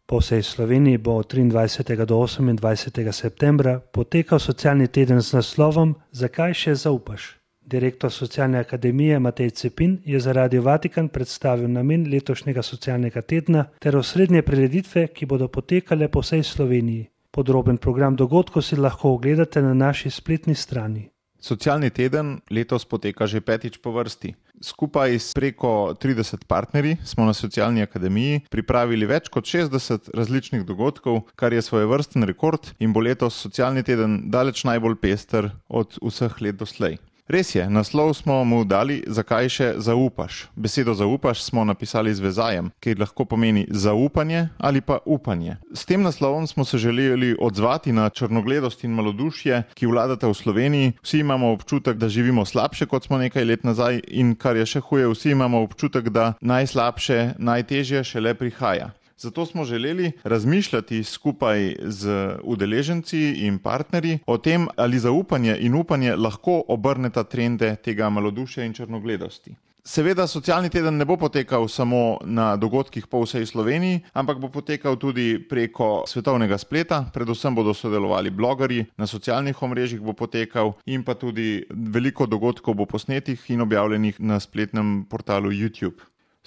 Po vsej Sloveniji bo od 23. do 28. septembra potekal socialni teden z naslovom Zakaj še zaupaš? Direktor Socialne akademije Matej Cepin je za Radio Vatikan predstavil namen letošnjega socialnega tedna ter osrednje prireditve, ki bodo potekale po vsej Sloveniji. Podroben program dogodkov si lahko ogledate na naši spletni strani. Socialni teden letos poteka že 5. po vrsti. Skupaj s preko 30 partnerji smo na Socialni akademiji pripravili več kot 60 različnih dogodkov, kar je svojevrsten rekord in bo letos socialni teden daleč najbolj pester od vseh let doslej. Res je, naslov smo mu dali Zakaj še zaupaš? Besedo zaupaš smo napisali z vezajem, ki lahko pomeni zaupanje ali pa upanje. S tem naslovom smo se želeli odzvati na črnogledost in malodušje, ki vladata v Sloveniji. Vsi imamo občutek, da živimo slabše, kot smo nekaj let nazaj in kar je še huje, vsi imamo občutek, da najslabše, najtežje šele prihaja. Zato smo želeli razmišljati skupaj z udeleženci in partnerji o tem, ali zaupanje in upanje lahko obrneta trende tega malodušja in črnogledosti. Seveda socialni teden ne bo potekal samo na dogodkih po vsej Sloveniji, ampak bo potekal tudi preko svetovnega spleta, predvsem bodo sodelovali blogerji, na socialnih omrežjih bo potekal in pa tudi veliko dogodkov bo posnetih in objavljenih na spletnem portalu YouTube.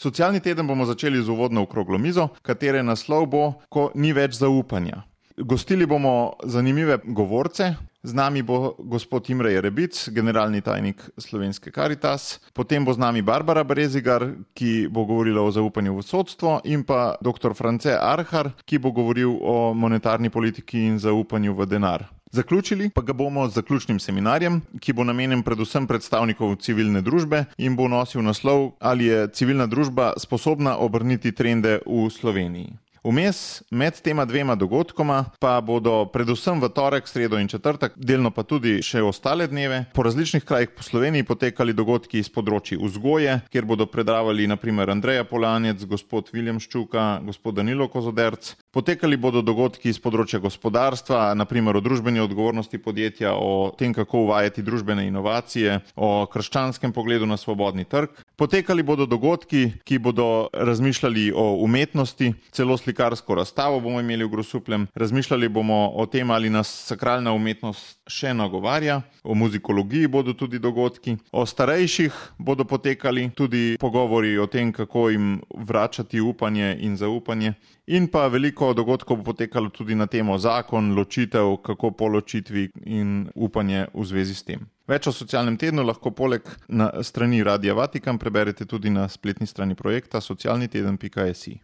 Socialni teden bomo začeli z uvodno okroglo mizo, katere naslov bo Ko ni več zaupanja. Gostili bomo zanimive govorce. Z nami bo gospod Imre Jerebic, generalni tajnik Slovenske Karitas, potem bo z nami Barbara Brezigar, ki bo govorila o zaupanju v sodstvo, in pa dr. France Arhar, ki bo govoril o monetarni politiki in zaupanju v denar. Zaključili pa ga bomo z zaključnim seminarjem, ki bo namenjen predvsem predstavnikov civilne družbe in bo nosil naslov Ali je civilna družba sposobna obrniti trende v Sloveniji. Vmes med tema dvema dogodkoma pa bodo predvsem v torek, sredo in četrtek, delno pa tudi še ostale dneve, po različnih krajih po Sloveniji potekali dogodki iz področji vzgoje, kjer bodo predavali na primer Andreja Polanec, gospod Viljem Ščuka, gospod Danilo Kozoderc. Potekali bodo dogodki iz področja gospodarstva, na primer o družbeni odgovornosti podjetja, o tem, kako uvajati družbene inovacije, o krščanskem pogledu na svobodni trg. Potekali bodo dogodki, ki bodo razmišljali o umetnosti, celo slikarsko razstavo bomo imeli v Grosupljem, razmišljali bomo o tem, ali nas sakralna umetnost še nagovarja, o muzikologiji bodo tudi dogodki, o starejših bodo potekali tudi pogovori o tem, kako jim vračati upanje in zaupanje. In pa veliko dogodkov bo potekalo tudi na temo zakon, ločitev, kako po ločitvi in upanje v zvezi s tem. Več o socialnem tednu lahko poleg na strani Radia Vatikan preberete tudi na spletni strani projekta socialniteden.si.